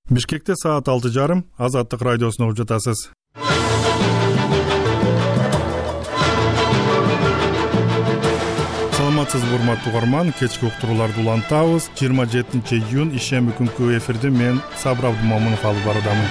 Бишкекте саат 6:30 Азаттык радиосун угуп жатасыз. Саламатсызбы урматтуу угарман, кечки уктурууларды улантабыз. 27-июнь ишемби күнкү эфирди мен Сабыр Абдумомунов алып баруудамын.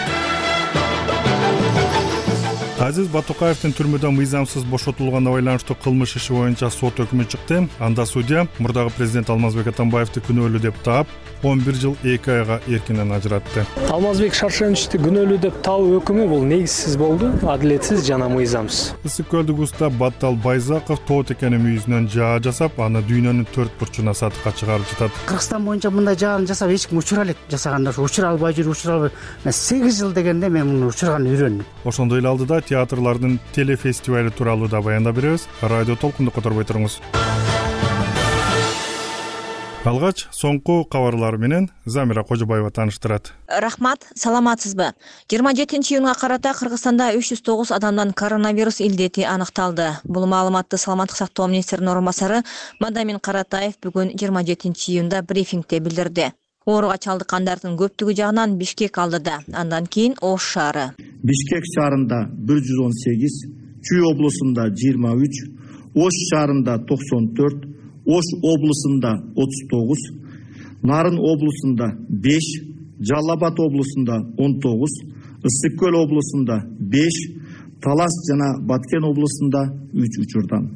Азиз Батукаевдин түрмөдөн мыйзамсыз бошотулганына байланыштуу кылмыш иши боюнча сот өкүмү чыкты. Анда судья мурдагы президент Алмазбек Атамбаевди күнөөлүү деп таап, 11 жыл 2 айга эркинен ажыратты. Алмазбек Шаршеновичти күнөөлүү деп табуу өкүмү бул негизсиз болду, адилетсиз жана мыйзамсыз. Ысык көлдүк уста Баттал Байзаков тоот экенин мүйүзүнөн жаа жасап, аны дүйнөнүн 4 бурчуна сатыкка чыгарып жатат. Кыргызстан боюнча мындай жааны жасап эч ким учура элек жасаганда учура албай жүр, учура албай. 8 жыл дегенде мен муну учурган үйрөндүм. Ошондой эле алдыда театрлардын телефестивали тууралуу да баяндап беребиз. Радио толкунду которбой туруңуз. Алгач соңку кабарлар менен Замира Кожобаева тааныштырат. Рахмат, саламатсызбы? 27-июнга карата Кыргызстанда 309 адамдан коронавирус илдети аныкталды. Бул маалыматты Саламаттык сактоо министринин орун басары Мадамин Каратаев бүгүн 27-июнда брифингде билдирди. Ооруга чалдыккандардын көптүгү жагынан Бишкек алдыда, андан кийин Ош шаары. Бишкек шаарында 118, Чүй облусунда 23, Ош шаарында 94, Ош облусунда 39, Нарын облусунда 5, Жалал Абад облусунда 19, Ысык көл облусунда 5, Талас жана Баткен облусунда 3 учурдан.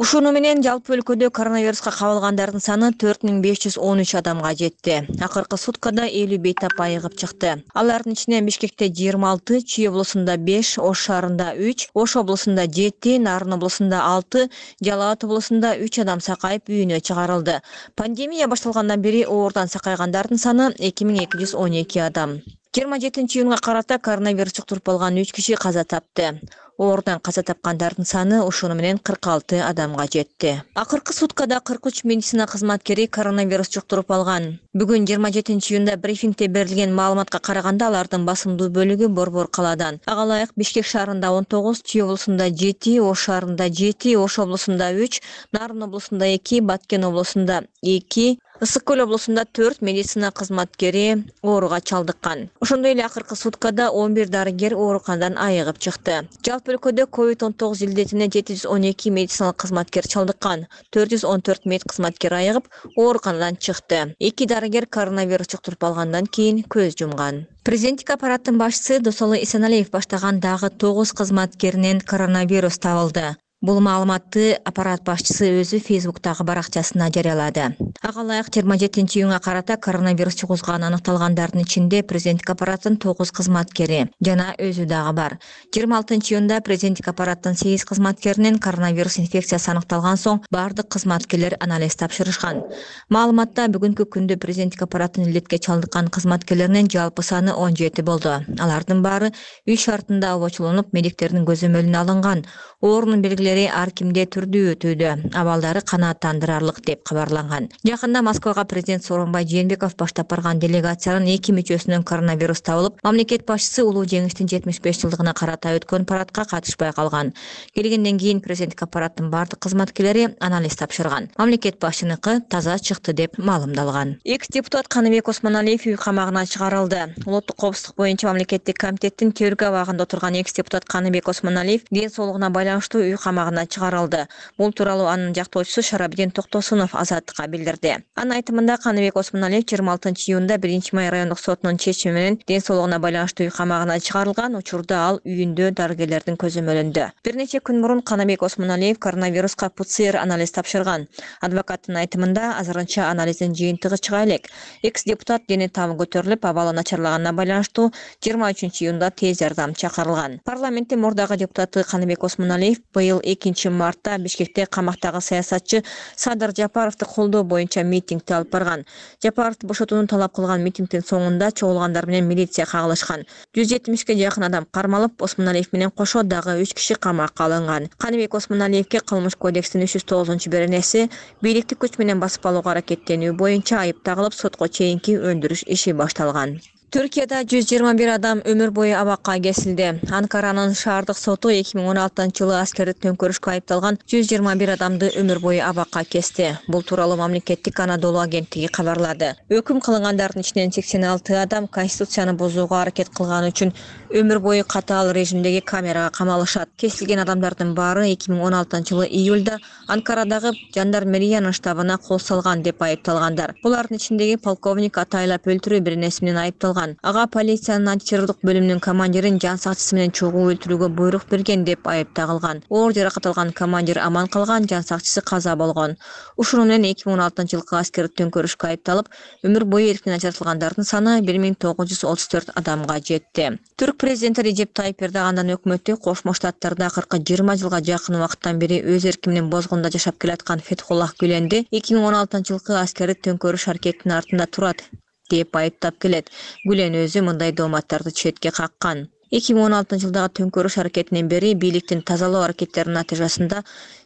Ушуну менен жалпы өлкөдө коронавируска кабылгандардын саны 4513 адамга жетти. Акыркы суткада 50 бейтап айыгып чыкты. Алардын ичинен Бишкекте 26, Чүй облусунда 5, Ош шаарында 3, Ош облусунда 7, Нарын облусунда 6, Жалал Абад облусунда 3 адам сакайып үйүнө чыгарылды. Пандемия башталгандан бери оорудан сакайгандардын саны 2212 адам. 27-июнга карата коронавирус жуктуруп алган 3 киши каза тапты. Оорудан каза тапкандардын саны ошону менен 46 адамга жетти. Акыркы суткада 43 медицина кызматкери коронавирус жуктуруп алган. Бүгүн 27-июнда брифингде берилген маалыматка караганда алардын басымдуу бөлүгү Борбор калаадан. Ага ылайык Бишкек шаарында 19, Чүй облусунда 7, Ош шаарында 7, Ош облусунда 3, Нарын облусунда 2, Баткен облусунда 2, Ысык көл облусунда 4 медицина кызматкери ооруга чалдыккан. Ошондой эле акыркы суткада 11 дарыгер ооруканадан айыгып чыкты. Жалпы өлкөдө COVID-19 илдетине 712 медициналык кызматкер чалдыккан, 414 мед кызматкер айыгып ооруканадан чыкты. 2 дарыгер коронавирус жуктуруп алгандан кийин көз жумган. Президенттик аппараттын башчысы Досоло Исеналиев баштаган дагы 9 кызматкеринен коронавирус табылды. Бул маалыматты аппарат башчысы өзү Фейсбуктагы баракчасына жарыялады. Ага ылайык 27-июнга карата коронавирус жугузганы аныкталгандардын ичинде президенттик аппараттын 9 кызматкери жана өзү дагы бар. 26-июнда президенттик аппараттын 8 кызматкеринен коронавирус инфекциясы аныкталган соң бардык кызматкерлер анализ тапшырышкан. Маалыматта бүгүнкү күндө президенттик аппараттын илдетке чалдыккан кызматкерлеринин жалпы саны 17 болду. Алардын баары үй шартында обочулонуп, медиктердин көзөмөлүнө алынган. Оорунун белгилери ар кимде түрдүү өтүүдө, абалдары канааттандырарлык деп кабарланган. Жакында Москвага президент Сооронбай Жээнбеков баштап барган делегациянын 2 мүчөсүнөн коронавирус табылып, мамлекет башчысы улуу жеңиштин 75 жылдыгына карата өткөн парадка катышпай калган. Келгенден кийин президенттик аппараттын бардык кызматкерлери анализ тапшырган. Мамлекет башчыныкы таза чыкты деп маалымдалган. Экс-депутат Каныбек Осмоналиев үй камагына чыгарылды. Улуттук коопсуздук боюнча мамлекеттик комитеттин төргө абагында отурган экс-депутат Каныбек Осмоналиев ден соолугуна байланыштуу үй камагына чыгарылды. Бул тууралуу анын жактоочусу Шарабидин Токтосунов Азаттыкка билдирди. Анын айтымында Каныбек Осмоналиев 26-июнда 1-Май райондук сотунун чечими менен ден соолугуна байланыштуу үй камагына чыгарылган. Учурда ал үйүндө дарыгерлердин көзөмөлүндө. Бир нече күн мурун Каныбек Осмоналиев коронавируска ПЦР анализ тапшырган. Адвокаттын айтымында азырынча анализдин жыйынтыгы чыга элек. Экс-депутат дене табы көтөрүлүп, абалы начарлаганына байланыштуу 23-июнда тез жардам чакырылган. Парламенттин мурдагы депутаты Каныбек Осмоналиев быйыл 2 мартта Бишкекте камактагы саясатчы Садыр Жапаровду колдоо боюнча митингди алып барган. Жапаровду бошотууну талап кылган митингдин соңунда чогулгандар менен милиция кагылышкан. 170ге жакын адам кармалып, Осмоналиев менен кошо дагы 3 киши камакка алынган. Каныбек Осмоналиевке Кылмыш кодекстин 309-беренеси бийликти күч менен басып алууга аракеттенүү боюнча айып тагылып, сотко чейинки өндүрүш иши башталган. Түркияда 121 адам өмүр бою абакка кесилди. Анкаранын шаардык соту 2016-жылы аскердик төңкөрүшкө айыпталган 121 адамды өмүр бою абакка кести. Бул тууралуу мамлекеттик Анадолу агенттиги кабарлады. Өкүм кылынгандардын ичинен 86 адам конституцияны бузууга аракет кылганы үчүн өмүр бою катаал режимдеги камерага камалышат. Кесилген адамдардын баары 2016-жылы июлда Анкарадагы жандармериянын штабына кол салган деп айыпталгандар. Булардын ичиндеги полковник атайлап өлтүрүү бирнеси менен айыпталган. Ага полициянын антитеррорлук бөлүмүнүн командирин жан сакчысы менен чогуу өлтүрүүгө буйрук берген деп айып тагылган. Оор жаракат алган командир аман калган, жан сакчысы каза болгон. Ушуну менен 2016-жылкы аскердик төңкөрүшкө айыпталып, өмүр бою эркинен ажыратылгандардын саны 1934 адамга жетти. Түрк президенти Режеп Тайип Эрдогандан өкмөтү Кошмо Штаттарда акыркы 20 жылга жакын убакыттан бери өз эрки менен бозгунда жашап келаткан Фетхуллах Гүленди 2016-жылкы аскердик төңкөрүш аракетинин артында турат деп айыптап келет. Гүлен өзү мындай дооматтарды четке каккан. 2016-жылдагы төңкөрүш аракетинен бери бийликтин тазалоо аракеттеринин натыйжасында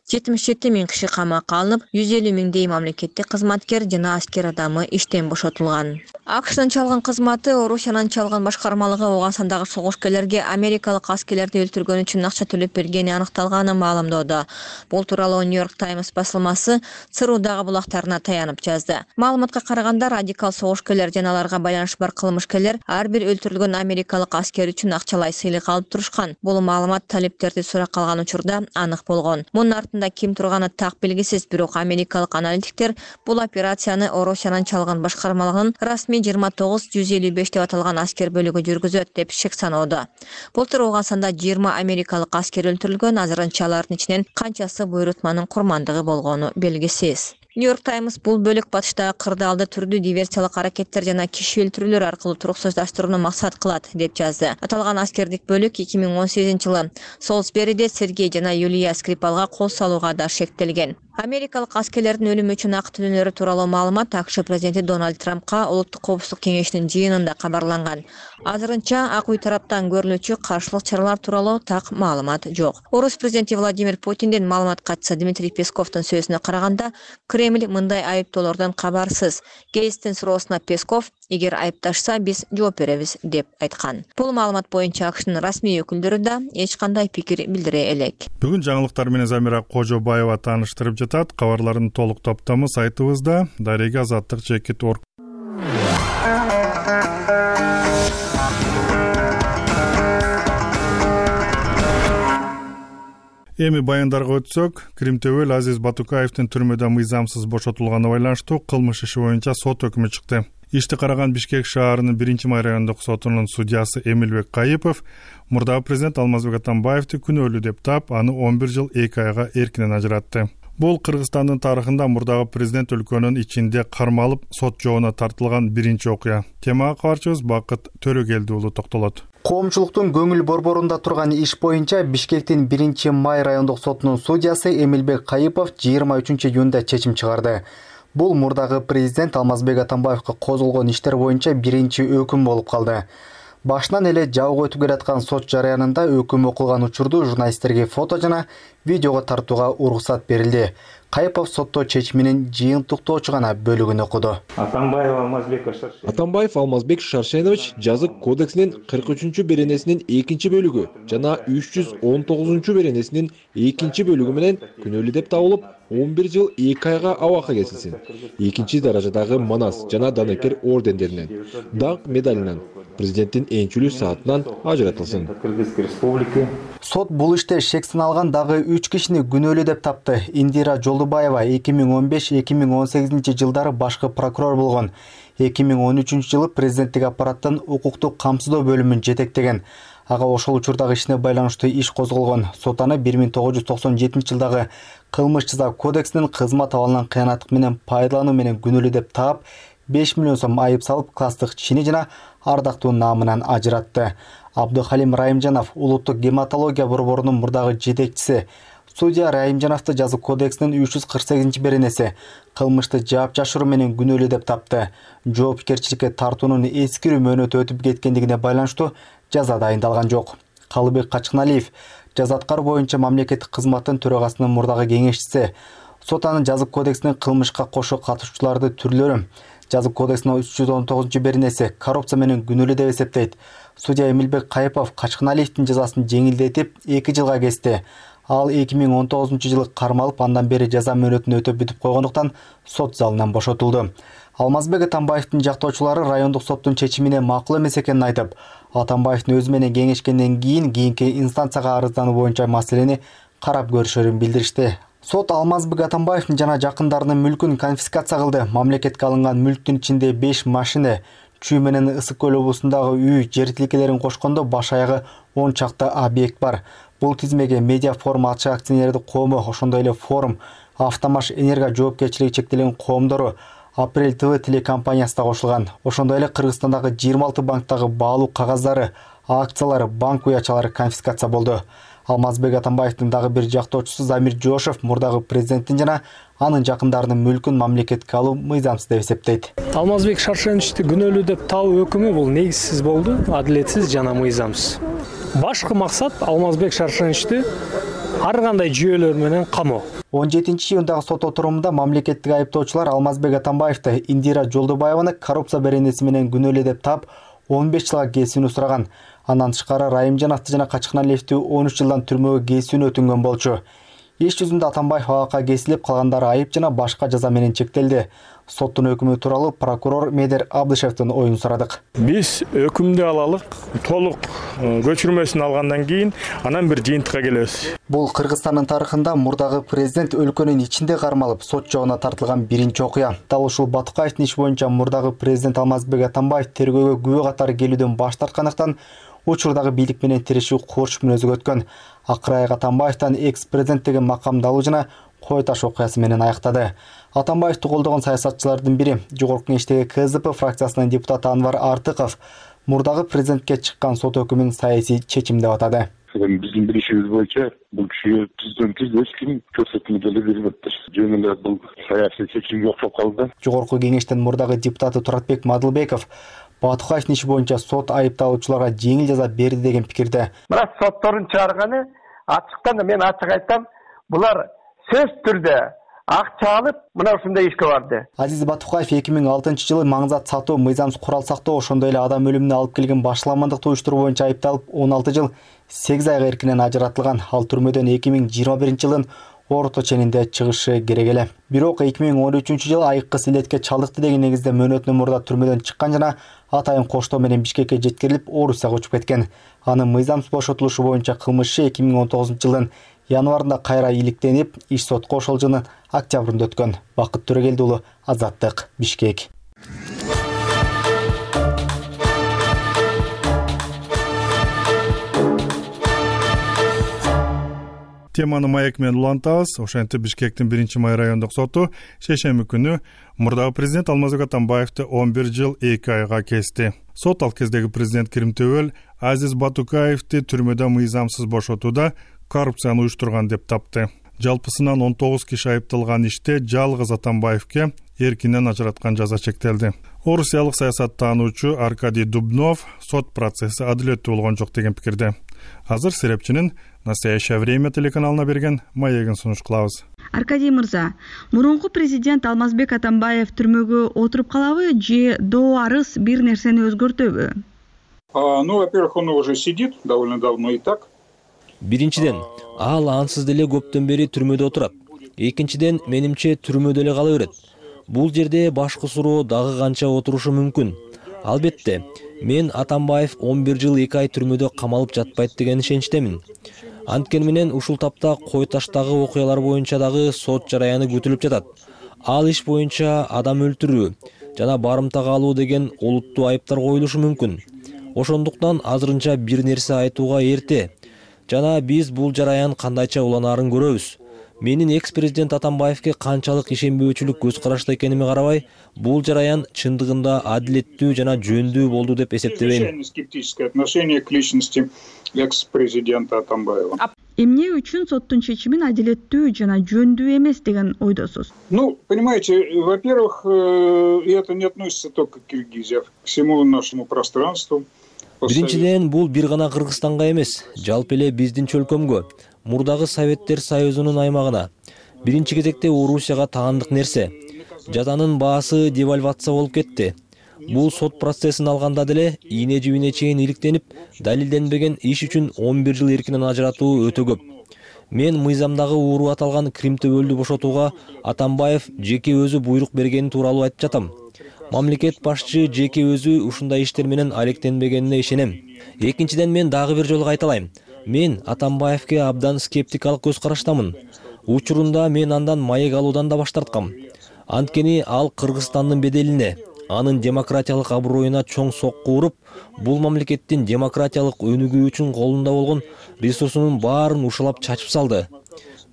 77 000 киши камакка алынып, 150 000 мамлекеттик кызматкер жана аскер адамы иштен бошотулган. АКШнын чалгын кызматы Орусиянын чалгын башкармалыгы Ооганстандагы согушкерлерге америкалык аскерлерди өлтүргөн үчүн акча төлөп бергени аныкталганын маалымдоодо. Бул тууралуу New York Times басылмасы ЦРУдагы булактарына таянып жазды. Маалыматка караганда, радикал согушкерлер жана аларга байланышы бар кылмышкерлер ар бир өлтүрүлгөн америкалык аскер үчүн акчалай сыйлык алып турушкан. Бул маалымат талептерди суракка алган учурда анык болгон. Мунун артында ким турганы так белгисиз, бирок америкалык аналитиктер бул операцияны Орусиянын чалгын башкармалыгынын расмий 29-155 деп аталган аскер бөлүгү жүргүзөт деп шек саноодо. Былтыр Ооганстанда 20 америкалык аскер өлтүрүлгөн, азырынча алардын ичинен канчасы буйрутманын курмандыгы болгону белгисиз. New York Times бул бөлүк батыштагы кырдаалды түрдүү диверсиялык аракеттер жана киши өлтүрүүлөр аркылуу туруксуздаштырууну максат кылат деп жазды. Аталган аскердик бөлүк 2018-жылы Солсбериде Сергей жана Юлия Скрипалга кол салууга да шектелген. Америкалык аскерлердин өлүмү үчүн акы төлөөнөрү тууралуу маалымат АКШ президенти Дональд Трампка Улуттук коопсуздук кеңешинин жыйынында кабарланган. Азырынча Ак үй тараптан көрүлүүчү каршылык чаралар тууралуу так маалымат жок. Орус президенти Владимир Путиндин маалымат катчысы Дмитрий Песковдун сөзүнө караганда, Кремль мындай айыптоолордон кабарсыз. Гейстин суроосуна Песков: "Эгер айыпташса, биз жооп беребиз" деп айткан. Бул маалымат боюнча АКШнын расмий өкүлдөрү да эч кандай пикир билдире элек. Бүгүн жаңылыктар менен Замира Кожобаева тааныштырып жатат. Кабарлардын толук топтому сайтыбызда Дарега Азаттык _. Эми баяндарга өтсөк, Кримтөбөл Азиз Батукаевдин түрмөдө мыйзамсыз бошотулганына байланыштуу кылмыш иши боюнча сот өкүмү чыкты. Ишти караган Бишкек шаарынын 1-май райондук сотунун судьясы Эмилбек Кайыпов мурдагы президент Алмазбек Атамбаевди күнөөлүү деп таап, аны 11 жыл 2 айга эркинен ажыратты. Бул Кыргызстандын тарыхында мурдагы президент өлкөнүн ичинде кармалып сот жообуна тартылган биринчи окуя. Темага кабарчыбыз Бакыт Төрөгелди уулу токтолот. Коомчулуктун көңүл борборунда турган иш боюнча Бишкектин 1-май райондук сотунун судьясы Эмилбек Кайыпов 23-июнда чечим чыгарды. Бул мурдагы президент Алмазбек Атамбаевга козголгон иштер боюнча биринчи өкүм болуп калды. Башынан эле жабык өтүп келаткан сот жарыянында өкүм окулган учурду журналисттерге фото жана видеого тартууга уруксат берилди. Кайыпов сотто чечиминин жыйынтыктоочу гана бөлүгүн окуду. Атамбаев Алмазбек Шаршенович жазык кодексинин 43-чү беренесинин 2-чи бөлүгү жана 319-чу беренесинин 2-чи бөлүгү менен күнөөлүү деп табылып, 11 жыл 2 айга абакка кесилсин. 2-чи даражадагы Манас жана Данекер ордендеринен, даңк медалинен, президенттин энчүлүү саатынан ажыратылсын. Сот бул иште шек саналган дагы 3 кишини күнөөлүү деп тапты. Индира Жолдубаева 2015-2018 жылдары башкы прокурор болгон. 2013 жылы президенттик аппараттын укуктук камсыздоо бөлүмүн жетектеген. Ага ошол учурдагы ишине байланыштуу иш козголгон. Сот аны 1997 жылдагы кылмыш жаза кодексинин кызмат абалынан кыянаттык менен пайдалануу менен күнөөлүү деп таап, 5 миллион сом айып салып, класстык чини жана ардактуу наамынан ажыратты. Абдухалим Райымжанов улуттук гематология борборунун мурдагы жетекчиси. Судья Райымжановду жазык кодексинин 348 беренеси кылмышты жаап жашыруу менен күнөөлүү деп тапты. Жоопкерчиликке тартуунун эскирүү мөөнөтү өтүп кеткендигине байланыштуу жаза дайындалган жок. Калыбек Качкыналиев жаза аткаруу боюнча мамлекеттик кызматтын төрагасынын мурдагы кеңешчиси. Сот анын жазык кодексинин кылмышка кошо катышуучуларды түрлөрү, Жазык кодексинин 319-беренеси коррупция менен күнөөлүү деп эсептейт. Судья Эмилбек Кайыпов Качканалиевдин жазасын жеңилдетип 2 жылга кести. Ал 2019-жылы кармалып, андан бери жаза мөөнөтүн өтөп бүтүп койгондуктан сот залынан бошотулду. Алмазбек Атамбаевдин жактоочулары райондук соттун чечимине макул эмес экенин айтып, Атамбаевдин өзү менен кеңешкенден кийинки инстанцияга арыздануу боюнча маселени карап көрүшөрүн билдиришти. Сот Алмазбек Атамбаевдин жана жакындарынын мүлкүн конфискация кылды. Мамлекетке алынган мүлктүн ичинде 5 машина, Чүй менен Ысык көл облусундагы үй, жер тилкелерин кошкондо баш аягы 10 чакты объект бар. Бул тизмеге Медиа Форум ачык акционердик коому, ошондой эле Форум, Автомаш Энерго жоопкерчилиги чектелген коомдору, Апрель ТВ телекомпаниясы да кошулган. Ошондой эле Кыргызстандагы 26 банктагы баалуу кагаздары, акциялары, банк уячалары конфискация болду. Алмазбек Атамбаевдин дагы бир жактоочусу Замир Жошев мурдагы президенттин жана анын жакындарынын мүлкүн мамлекетке алуу мыйзамсыз деп эсептейт. Алмазбек Шаршеновичти күнөөлүү деп табуу өкүмү бул негизсиз болду, адилетсиз жана мыйзамсыз. Башкы максат Алмазбек Шаршеновичти ар кандай жүйөлөр менен камоо. 17-июндагы сот отурумунда мамлекеттик айыптоочулар Алмазбек Атамбаевди Индира Жолдубаеваны коррупция беренеси менен күнөөлүү деп таап 15 жылга кесүүнү сураган. Андан тышкары Райымжановду жана Качканалиевди 13 жылдан түрмөгө кесүүнү өтүнгөн болчу. Иш жүзүндө Атамбаев абакка кесилип, калгандары айып жана башка жаза менен чектелди. Соттун өкүмү тууралуу прокурор Медер Абдышевдин оюн сурадык. Биз өкүмдү алалык, толук көчүрмөсүн алгандан кийин анан бир жыйынтыкка келебиз. Бул Кыргызстандын тарыхында мурдагы президент өлкөнүн ичинде кармалып, сот жогуна тартылган биринчи окуя. Дал ушул Батукаевдин иш боюнча мурдагы президент Алмазбек Атамбаев тергөөгө күбө катары келүүдөн баш тарткандыктан учурдагы бийлик менен тирешүү курч мүнөзгө өткөн. Акыры Атамбаевден экс-президент деген макамды алуу жана кой таш окуясы менен аяктады. Атамбаевди колдогон саясатчылардын бири, Жогорку Кеңештеги КЗП фракциясынын депутаты Анвар Артыков мурдагы президентке чыккан сот өкүмүн саясий чечим деп атады. Биздин билишибиз боюнча бул кишиге президенттик эч ким көрсөтмө деле бербептир. Жөн эле бул саясий чечимге окшоп калды. Жогорку Кеңештин мурдагы депутаты Туратбек Мадылбеков Батукаевдин иши боюнча сот айыпталуучуларга жеңил жаза берди деген пикирде. Бирок соттордун чыгарганы ачыктан мен ачык айтам, булар сөз түрдө акча алып мына ушундай ишке барды. Азиз Батукаев 2006-жылы маңзат сатуу, мыйзамсыз курал сактоо, ошондой эле адам өлүмүнө алып келген башаламандыкты уюштуруу боюнча айыпталып 16 жыл 8 айга эркинен ажыратылган. Ал түрмөдөн 2021-жылдын орто ченинде чыгышы керек эле. Бирок 2013-жылы айыккы силетке чалдыкты деген негизде мөөнөтүнөн мурда түрмөдөн чыккан жана атайын коштоо менен Бишкекке жеткирилип, Орусияга учуп кеткен. Анын мыйзамсыз бошотулушу боюнча кылмышы 2019-жылдын январында кайра иликтенип, иш сотко ошол жылдын октябрында өткөн. Бакыт Төрөгелди уулу, Азаттык, Бишкек. Теманы маек менен улантабыз. Ошентип Бишкектин 1-май райондук соту шейшемби күнү мурдагы президент Алмазбек Атамбаевди 11 жыл 2 айга кести. Сот ал кездеги президент Киримтөбөл Азиз Батукаевди түрмөдө мыйзамсыз бошотууда коррупцияны уюштурган деп тапты. Жалпысынан 19 киши айыпталган иште жалгыз Атамбаевге эркинен ажыраткан жаза чектелди. Орусиялык саясаттануучу Аркадий Дубнов сот процесси адилеттүү болгон жок деген пикирде. Азыр серепчинин «Настоящее время» телеканалына берген маегин сунуш кылабыз. Аркадий мырза, мурунку президент Алмазбек Атамбаев түрмөгө отуруп калабы же доо арыз бир нерсени өзгөртөбү? Во-первых, он уже сидит довольно давно и так. Биринчиден, ал ансыз деле көптөн бери түрмөдө отурат. Экинчиден, менимче түрмөдө эле кала берет. Бул жерде башкы суроо дагы канча отурушу мүмкүн. Албетте, мен Атамбаев 11 жыл 2 ай түрмөдө камалып жатпайт деген ишеничтемин. Анткени менен ушул тапта кой таштагы окуялар боюнча дагы сот жараяны күтүлүп жатат. Ал иш боюнча адам өлтүрүү жана барымтага алуу деген олуттуу айыптар коюлушу мүмкүн. Ошондуктан азырынча бир нерсе айтууга эрте. Жана биз бул жараян кандайча уланаарын көрөбүз. Менин экс-президент Атамбаевге канчалык ишенбөөчүлүк көз карашта экениме карабай, бул жараян чындыгында адилеттүү жана жөндүү болду деп эсептебейм. Скептическое отношение к личности экс-президента Атамбаева. Эмне үчүн соттун чечимин адилеттүү жана жөндүү эмес деген ойдосуз? Понимаете, во-первых, это не относится только к Киргизии, к всему нашему пространству. Биринчиден, бул бир гана Кыргызстанга эмес, жалпы эле биздин чөлкөмгө, мурдагы Советтер Союзунун аймагына, биринчи кезекте Орусияга таандык нерсе. жазанын баасы девальвация болуп кетти. Бул сот процессин алганда деле ийне жибине чейин иликтенип, далилденбеген иш үчүн 11 жыл эркинен ажыратуу өтө көп. Мен мыйзамдагы ууру аталган Крим төбөлдү бошотууга Атамбаев жеке өзү буйрук бергени тууралуу айтып жатам. Мамлекет башчы жеке өзү ушундай иштер менен алектенбегенине ишенем. Экинчиден, мен дагы бир жолу кайталайм. Мен Атамбаевке абдан скептикалык көз караштамын. Учурунда мен андан маек алуудан да баш тарткам. Анткени ал Кыргызстандын беделине, анын демократиялык аброюна чоң сокку уруп, бул мамлекеттин демократиялык өнүгүү үчүн колунда болгон ресурсунун баарын ушалап чачып салды.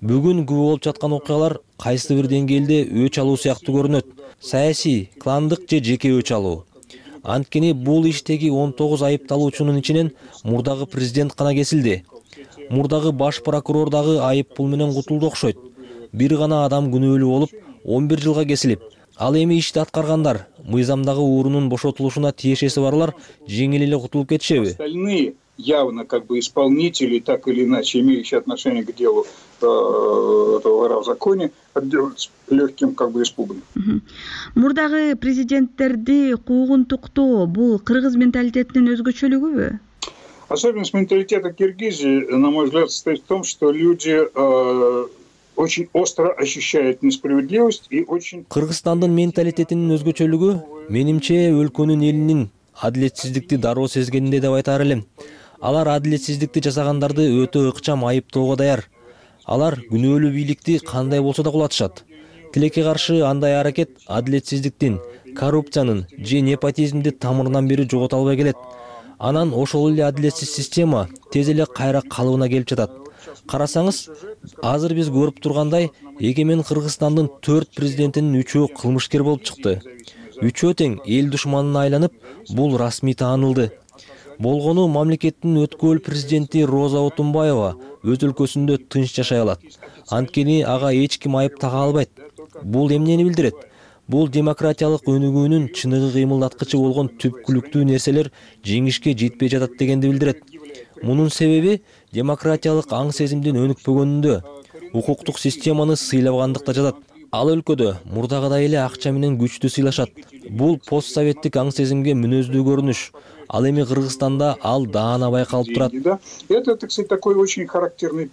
Бүгүн күбө болуп жаткан окуялар кайсы бир деңгээлде өч алуу сыяктуу көрүнөт. Саясий, кландык же жеке өч алуу. Анткени бул иштеги 19 айыпталуучунун ичинен мурдагы президент гана кесилди. Мурдагы баш прокурор дагы айып пул менен кутулду окшойт. Бир гана адам күнөөлүү болуп 11 жылга кесилип, ал эми ишти аткаргандар, мыйзамдагы уурунун бошотулушуна тиешеси барлар жеңил эле кутулуп кетишеби? Остальные явно исполнители, так или иначе имеющие отношение к делу этого вора в законе, отделаются легким испугом. Мурдагы президенттерди куугунтуктоо бул кыргыз менталитетинин өзгөчөлүгүбү? Особенность менталитета Киргизии, на мой взгляд, состоит в том, что люди очень остро ощущают несправедливость и очень... Кыргызстандын менталитетинин өзгөчөлүгү, менимче, өлкөнүн элинин адилетсиздикти дароо сезгенинде деп айтар элем. Алар адилетсиздикти жасагандарды өтө ыкчам айыптоого даяр. Алар күнөөлүү бийликти кандай болсо да кулатышат. Тилекке каршы андай аракет адилетсиздиктин, коррупциянын же непотизмди тамырынан бери жогото албай келет. Анан ошол эле адилетсиз система тез эле кайра калыбына келип жатат. Карасаңыз, азыр биз көрүп тургандай, эгемен Кыргызстандын 4 президентинин 3-өө кылмышкер болуп чыкты. 3-өө тең эл душманына айланып, бул расмий таанылды. Болгону мамлекеттин өткөл президенти Роза Отунбаева өз өлкөсүндө тынч жашай алат. Анткени ага эч ким айып тага албайт. Бул эмнени билдирет? Бул демократиялык өнүгүүнүн чыныгы кыймылдаткычы болгон түпкүлүктүү нерселер жеңишке жетпей жатат дегенди билдирет. Мунун себеби демократиялык аң сезимдин өнүкпөгөнүндө, укуктук системаны сыйлабагандыкта жатат. Ал өлкөдө мурдагыдай эле акча менен күчтү сыйлашат. Бул постсоветтик аң сезимге мүнөздүү көрүнүш. Ал эми Кыргызстанда ал даана байкалып турат. Это, кстати, такой очень характерный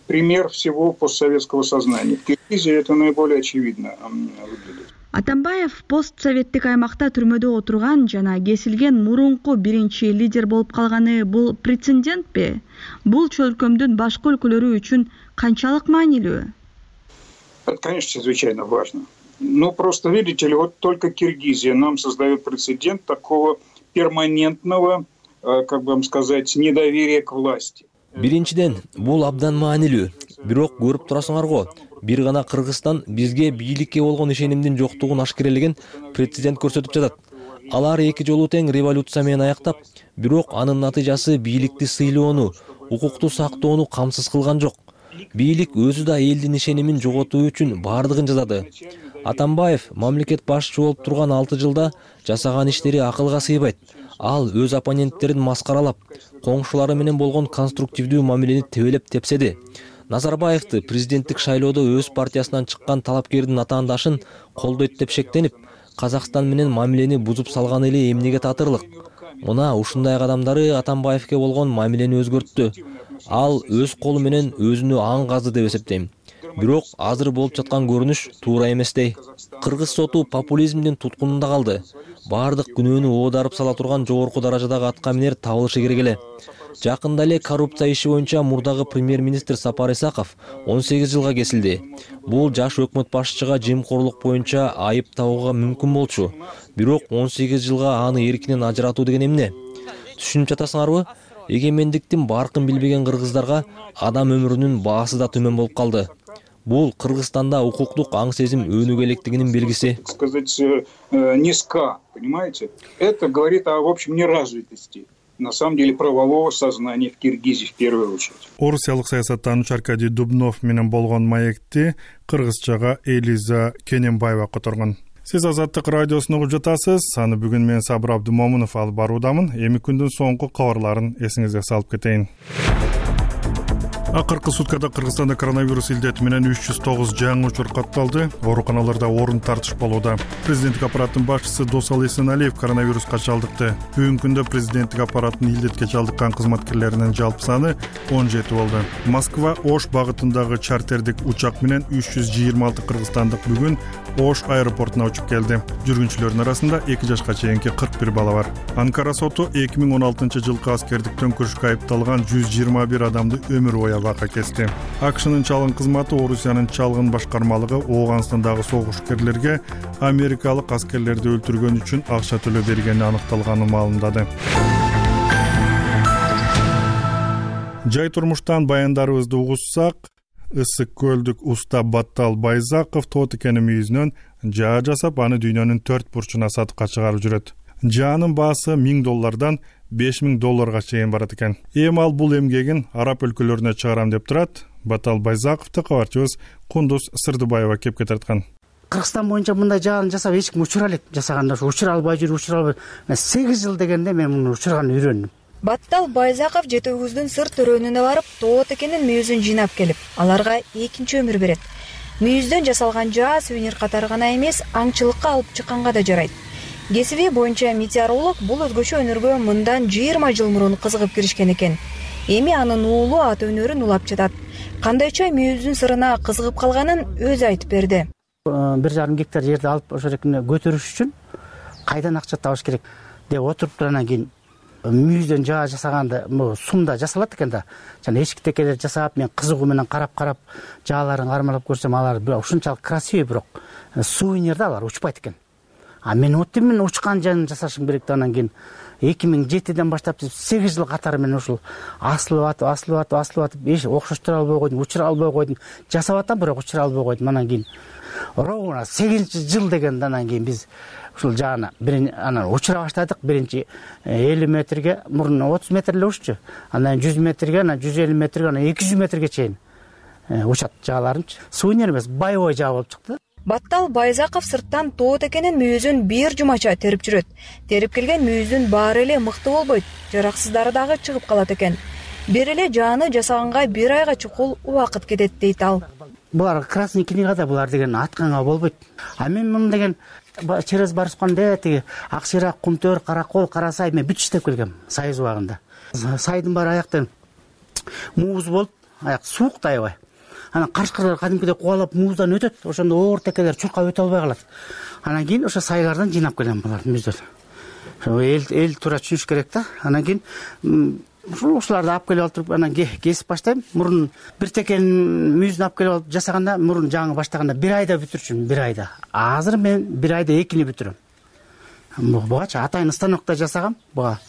пример всего постсоветского сознания. В Киргизии это наиболее очевидно выглядит. Атамбаев постсоветтик аймакта түрмөдө отурган жана кесилген мурунку биринчи лидер болуп калганы бул прецедентпи? Бул чөлкөмдүн башка өлкөлөрү үчүн канчалык маанилүү? Это, конечно, чрезвычайно важно. Но просто, видите ли, вот только Киргизия нам создает прецедент такого перманентного, как бы вам сказать, недоверия к власти. Биринчиден, бул абдан маанилүү. Бирок көрүп турасыңарго, бир гана Кыргызстан бизге бийликке болгон ишенимдин жоктугун ашкерелеген прецедент көрсөтүп жатат. Алар 2 жолу тең революция менен аяктап, бирок анын натыйжасы бийликти сыйлоону, укукту сактоону камсыз кылган жок. Бийлик өзү да элдин ишенимин жоготуу үчүн бардыгын жасады. Атамбаев мамлекет башчы болуп турган 6 жылда жасаган иштери акылга сыйбайт. Ал өз оппоненттерин маскаралап, коңшулары менен болгон конструктивдүү мамилени тебелеп тепседи. Назарбаевди президенттик шайлоодо өз партиясынан чыккан талапкердин атаандашын колдойт деп шектенип, Казакстан менен мамилени бузуп салганы эле эмнеге татырлык. Мына ушундай кадамдары Атамбаевке болгон мамилени өзгөрттү. Ал өз колу менен өзүнө аң казды деп эсептейм. Бирок азыр болуп жаткан көрүнүш туура эместей. Кыргыз соту популизмдин туткунунда калды. Бардык күнөөнү оодарып сала турган жогорку даражадагы аткаминер табылышы керек эле. Жакында эле коррупция иши боюнча мурдагы премьер-министр Сапар Исаков 18 жылга кесилди. Бул жаш өкмөт башчыга жемкорлук боюнча айып табууга мүмкүн болчу. Бирок 18 жылга аны эркинен ажыратуу деген эмне? Түшүнүп жатасыңарбы? Эгемендиктин баркын билбеген кыргыздарга адам өмүрүнүн баасы да төмөн болуп калды. Бул Кыргызстанда укуктук аң сезим өнүгө электигинин белгиси. Сказать, низка, понимаете? Это говорит о, в общем, неразвитости. На самом деле, правового сознания в Киргизии в первую очередь. Орусиялык саясаттануучу Аркадий Дубнов менен болгон маекти кыргызчага Элиза Кененбаева которгон. Сиз Азаттык радиосун угуп жатасыз. Аны бүгүн мен Сабыр Абдумомунов алып баруудамын. Эми күндүн соңку кабарларын эсиңизге салып кетейин. Акыркы суткада Кыргызстанда коронавирус илдети менен 309 жаңы учур катталды. Ооруканаларда орун тартышпалууда. Президенттик аппараттын башчысы Досал Эсеналиев коронавируска чалдыкты. Бүгүнкү күндө президенттик аппараттын илдетке чалдыккан кызматкерлеринин жалпы саны 17 болду. Москва Ош багытындагы чартердик учак менен 326 кыргызстандык бүгүн Ош аэропортуна учуп келди. Жүргүнчүлөрдүн арасында 2 жашка чейинки 41 бала бар. Анкара соту 2016-жылкы аскердик төңкөрүшкө айыпталган 121 адамды өмүр бою абакка кести. АКШнын чалгын кызматы Орусиянын чалгын башкармалыгы Ооганстандагы согушкерлерге америкалык аскерлерди өлтүргөн үчүн акча төлөп бергени аныкталганын маалымдады. Жай турмуштан баяндарыбызды угуссак, Ысык көлдүк уста Баттал Байзаков тоот экени мүйүзүнөн жаа жасап, аны дүйнөнүн 4 бурчуна сатыкка чыгарып жүрөт. Жаанын баасы $1000 $5000 чейин барат экен. Эми ал бул эмгегин араб өлкөлөрүнө чыгарам деп турат. Баттал Байзаковду кабарчыбыз Кундуз Сырдыбаева кепке тарткан. Кыргызстан боюнча мындай жаан жасап эч ким учура элек. Жасаганда учура албай жүрүп, 8 жыл дегенде мен муну учурганды үйрөндүм. Баттал Байзаков жетөөгүздүн сыр төрөөнүнө барып, тоот экенин мүйүзүн жыйнап келип, аларга экинчи өмүр берет. Мүйүздөн жасалган жаа сувенир катары гана эмес, аңчылыкка алып чыкканга да жарайт. Кесиби боюнча метеоролог бул өзгөчө өнөргө мындан 20 жыл мурун кызыгып киришкен экен. Эми анын уулу ата өнөрүн улап жатат. Кандайча мүйүздүн сырына кызыгып калганын өзү айтып берди. 1,5 гектар жерди алып ошол жерге көтөрүш үчүн кайдан акча табыш керек деп отуруп анан кийин мүйүздөн жаа жасаганды сумда жасалат экен да. Жана эшик текелер жасап, мен кызыгуу менен карап жааларын кармалап көрсөм, алар ушунчалык красивый, бирок сувенирде алар учпайт экен. А мен мен учкан жанын жасашым керек да. Анан кийин 2007-ден баштап 8 жыл катары мен ушул асылып атып, эч окшоштура албай койдум, учура албай койдум. Жасап атам, бирок учура албай койдум. Анан кийин ровно 8-жыл дегенде анан кийин биз ушул жааны анан учура баштадык. Биринчи 50 метрге, мурун 30 метр эле уччу. Анан 100 метрге, анан 150 метрге, анан 200 метрге чейин учат жааларынчы. Сувенир эмес, боевой жаа болуп чыкты. Баттал Байзаков сырттан тоот экенин мүйүзүн бир жумача терип жүрөт. Терип келген мүйүздүн баары эле мыкты болбойт. Жараксыздары дагы чыгып калат экен. Бир эле жааны жасаганга 1 айга чукул убакыт кетет дейт ал. Булар красный книгада булар деген атканга болбойт. А мен муну деген через барышканда тиги Акшира, Кумтөр, Каракол, Карасай мен бүт иштеп келгем Союз убагында. Сайдын баары аяктан мууз болуп, аяк суук да аябай. Анан карышкарлар кадимкидей кубалап мууздан өтөт. Ошондо оор текелер чуркап өтө албай калат. Анан кийин ошо сайлардан жыйнап келем булар мүйүздөн. Эл туура түшүнүш керек да. Анан кийин ушуларды алып келип алып, анан кесип баштайм. Мурун бир текенин мүйүзүн алып келип алып жасаганда, мурун жаңы баштаганда 1 айда бүтүрчүмүн, 1 айда. Азыр мен 1 айда 2-ни бүтүрөм. Бугачы атайын станокто жасагам, буга.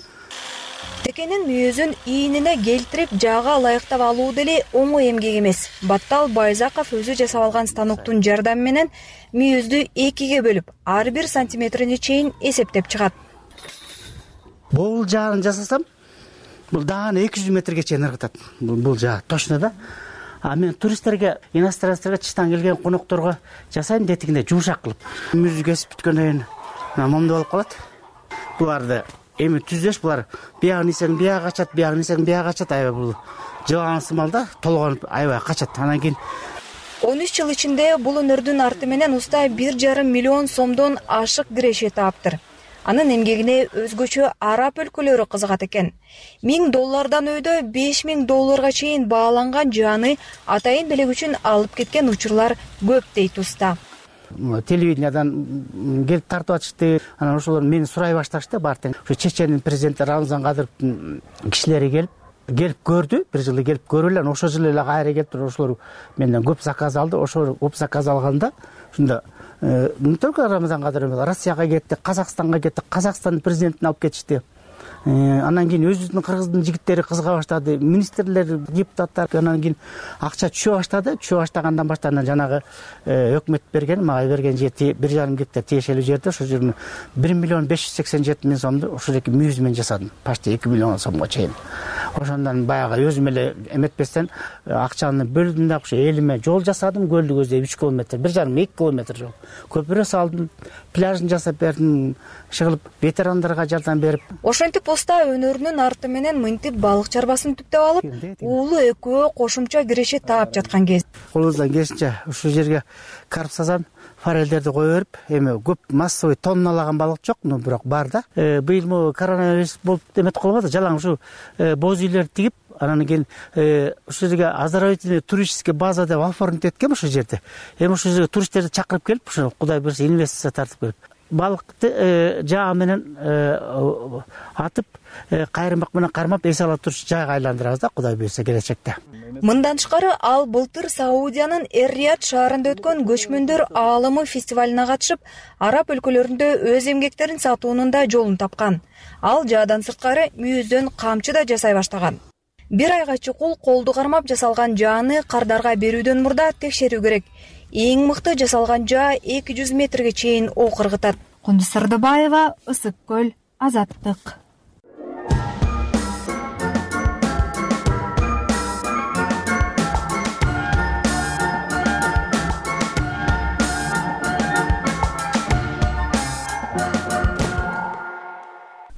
Текенин мүйүзүн ийинине келтирип жаага ылайыктап алуу деле оңой эмгек эмес. Баттал Байзаков өзү жасап алган станоктун жардамы менен мүйүздү 2ге бөлүп, ар бир сантиметрине чейин эсептеп чыгат. Бул жааны жасасам, бул дааны 200 метрге чейин ыргытат. Бул жаа точно да. А мен туристтерге, иностранцтерге, чыштан келген конокторго жасайм детигинде жумшак кылып. Мүйүз кесип бүткөндөн кийин момду болуп калат. Буларды эми түзөш, булар биягын исең бияга качат, биягын исең бияга качат. Аябай бул жылан сымалда толгонуп аябай качат. Анан кийин 13 жыл ичинде бул өнөрдүн арты менен уста 1,5 миллион сомдон ашык киреше таптыр. Анын эмгегине өзгөчө араб өлкөлөрү кызыгат экен. $1000 өйдө $5000 чейин бааланган жааны атайын белек үчүн алып кеткен учурлар көп дейт уста. Телевидениядан келип тартып атышты. Анан ошолор мени сурай башташты. Бартең ушу Чеченин президенти Рамзан Кадыровдун кишилери келип көрдү. Бир жылы келип көрүп эле, ошол жылы эле кайра келип туруп ошолор менден көп заказ алды. Ошол көп заказ алганда ушунда не только Рамзан Кадыров Россияга кетти, Казакстанга кетти, Казакстандын президентин алып кетишти. Анан кийин өзүбүздүн кыргыздын жигиттери кызыга баштады, министрлер, депутаттар. Анан кийин акча түшө баштады. Түшө баштагандан баштап жанагы өкмөт берген, мага берген жер 1,5 гектар тиешелүү жерде, ошол жердин 1,587,000 сомду ошол эки мүйүз менен жасадым. Почти 2 миллион сомго чейин. ошондон баягы өзүм эле эметпестен акчаны бөлдүм да ошо элиме жол жасадым, көлдү көздөп 3 километр, 1,5-2 километр жол. Көпүрө салдым, пляжын жасап бердим, чыгылып ветерандарга жардам берип. Ошентип уста өнөрүнүн арты менен мынтип балык чарбасын түптөп алып, уулу экөө кошумча киреше таап жаткан кез. Колубуздан келишинче ушул жерге карп сазан, форелдерди кое берип, эми көп массовый тонналаган балык жок, но бирок бар да. Быйыл могу коронавирус болуп эмет кылып атат, жалаң ушу боз үйлөрдү тигип, анан кийин ушул жерге оздоровительный туристический база деп оформить эткем ушул жерде. Эми ушул жерге туристтерди чакырып келип, ушул Кудай буйрса инвестиция тартып келип, балыкты жаа менен атып, кайрымак менен кармап эс ала туруш жайга айландырабыз да, Кудай буйрса келечекте. Мындан тышкары ал былтыр Саудиянын Эр-Рияд шаарында өткөн көчмөндөр аалымы фестивалына катышып, араб өлкөлөрүндө өз эмгектерин сатуунун да жолун тапкан. Ал жаадан сырткары мүйүздөн камчы да жасай баштаган. Бир айга чукул колду кармап жасалган жааны кардарга берүүдөн мурда текшерүү керек. Эң мыкты жасалган жаа 200 метрге чейин ок ыргытат. Кундуз Сырдыбаева, Ысык көл, Азаттык.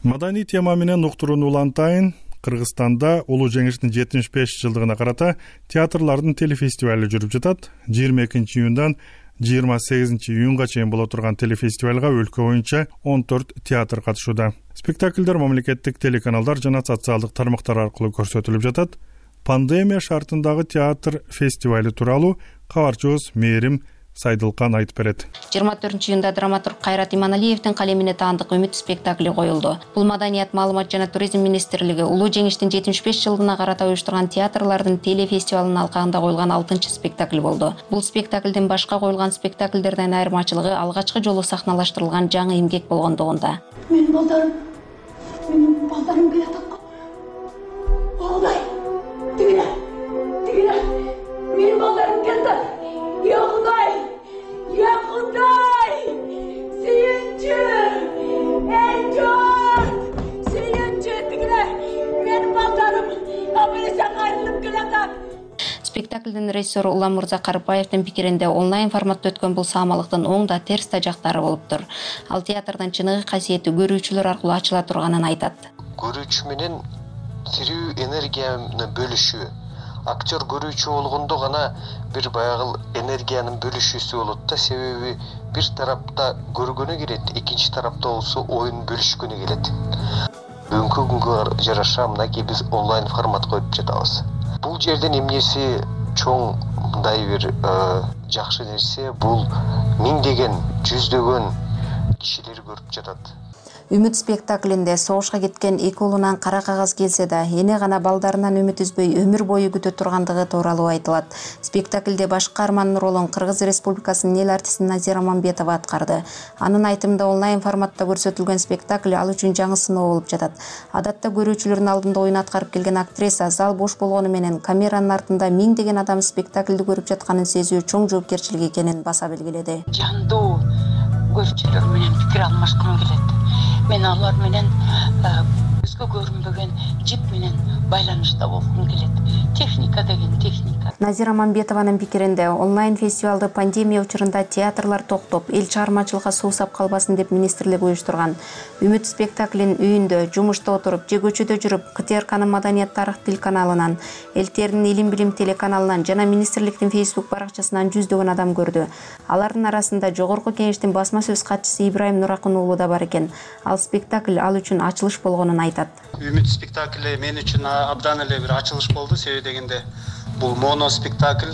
Маданий тема менен уктурууну улантайын. Кыргызстанда улуу жеңиштин 75 жылдыгына карата театрлардын телефестивали жүрүп жатат. 22 июндан 28 июнга чейин боло турган телефестивалга өлкө боюнча 14 театр катышууда. Спектакльдер мамлекеттик телеканалдар жана социалдык тармактар аркылуу көрсөтүлүп жатат. Пандемия шартындагы театр фестивали тууралуу кабарчыбыз Мээрим Сайдылкан айтып берет. 24 июнда драматург Кайрат Иманалиевдин калемине таандык Үмүт спектакли коюлду. Бул Маданият, маалымат жана туризм министрлиги улуу жеңиштин 75 жылдыгына карата уюштурган театрлардын телефестивалынын алкагында коюлган 6-чы спектакль болду. Бул спектаклдин башка коюлган спектакльдерден айырмачылыгы алгачкы жолу сахналаштырылган жаңы эмгек болгондугунда. Менин балдарым келатат. Балдай. Тигине. Менин балдарым келди. Ya Khuday! Ya Khuday! Suyuncu! Enjot! Suyuncu! Tigine! Benim baldarım! Abelesen ayrılıp gelatam! Спектаклдин режиссеру Улам Мурза Карыбаевдин пикиринде онлайн форматта өткөн бул саамалыктын оң да терс да жактары болуптур. Ал театрдын чыныгы касиети көрүүчүлөр аркылуу ачыла турганын айтат. Көрүүчү менен тирүү энергияны бөлүшүү. Актер көрүүчү болгондо гана бир баягы энергиянын бөлүшүүсү болот да, себеби бир тарапта көргөнү келет, экинчи тарапта болсо оюн бөлүшкөнү келет. Бүгүнкү күнгө жараша мынакей биз онлайн формат коюп жатабыз. Бул жерден эмнеси чоң мындай бир жакшы нерсе, бул миңдеген, жүздөгөн кишилер көрүп жатат. Үмүт спектаклинде согушка кеткен эки уулунан кара кагаз келсе да, эне гана балдарынан үмүт үзбөй өмүр бою күтө тургандыгы тууралуу айтылат. Спектаклде баш каармандын ролун Кыргыз Республикасынын эл артисти Назира Мамбетова аткарды. Анын айтымында онлайн форматта көрсөтүлгөн спектакль ал үчүн жаңы сыноо болуп жатат. Адатта көрүүчүлөрдүн алдында оюн аткарып келген актриса зал бош болгону менен камеранын артында миңдеген адам спектаклди көрүп жатканын сезүү чоң жоопкерчилик экенин баса белгиледи. Жандуу көрүүчүлөр менен пикир алмашкым келет. Мен алар менен көзгө көрүнбөгөн жип менен байланышта болгум келет. Техника деген техника. Назира Мамбетованын пикиринде онлайн фестивалды пандемия учурунда театрлар токтоп, эл чыгармачылыкка суусап калбасын деп министрлик уюштурган. Үмүт спектаклин үйүндө, жумушта отуруп, же көчөдө жүрүп КТРКнын Маданият тарых тил каналынан, Элтердин Илим билим телеканалынан жана министрликтин Facebook баракчасынан жүздөгөн адам көрдү. Алардын арасында Жогорку Кеңештин басма сөз катчысы Ибраим Нуракын уулу да бар экен. Ал спектакль ал үчүн ачылыш болгонун айтат. Үмүт спектакли мен үчүн абдан эле бир ачылыш болду, себеби дегенде бул моно спектакль,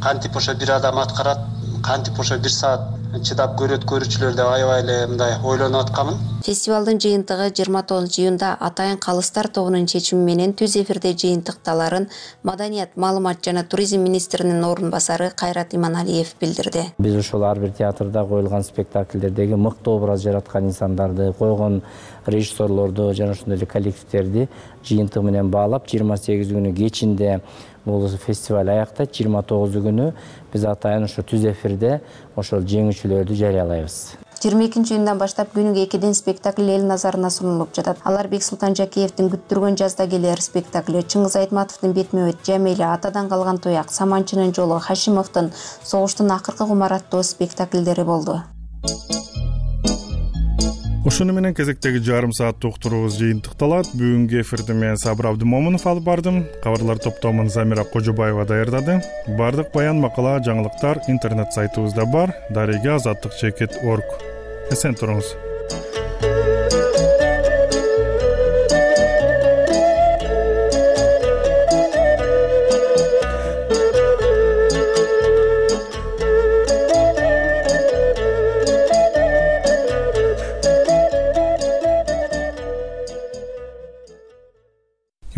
кантип ошо бир адам аткарат, кантип ошо 1 саат чыдап көрөт көрүүчүлөр деп аябай эле мындай ойлонуп аткамын. Фестивалдын жыйынтыгы 29 июнда Атайын Калыстар тобунун чечими менен түз эфирде жыйынтыкталарын Маданият, маалымат жана туризм министринин орун басары Кайрат Иманалиев билдирди. Биз ошол ар бир театрда коюлган спектакльдердеги мыкты образ жараткан инсандарды, койгон режиссерлорду жана ошондой эле коллективдерди жыйынтыгы менен баалап 28 күнү кечинде бул фестиваль аяктайт. 29 күнү биз атайын ошо түз эфирде ошол жеңүүчүлөрдү жарыялайбыз. 22-июндан баштап күнүгө 2 спектакль эл назарына сунулуп жатат. Алар Бексултан Жакиевдин күттүргөн жазда келер спектаклі, Чыңгыз Айтматовдун Бетме-бет, Жамели, Атадан калган туяк, Саманчынын жолу, Хашимовдун Согуштун акыркы кумар аттуу спектакльдери болду. Ошону менен кезектеги жарым сааттык уктуруубуз жыйынтыкталат. Бүгүнкү эфирди мен Сабыр Абдымомунов алып бардым. Кабарлар топтомун Замира Кожобаева даярдады. Бардык баян, макала, жаңылыктар интернет сайтыбызда бар. Дареге Азаттык.org. Эсен туруңуз.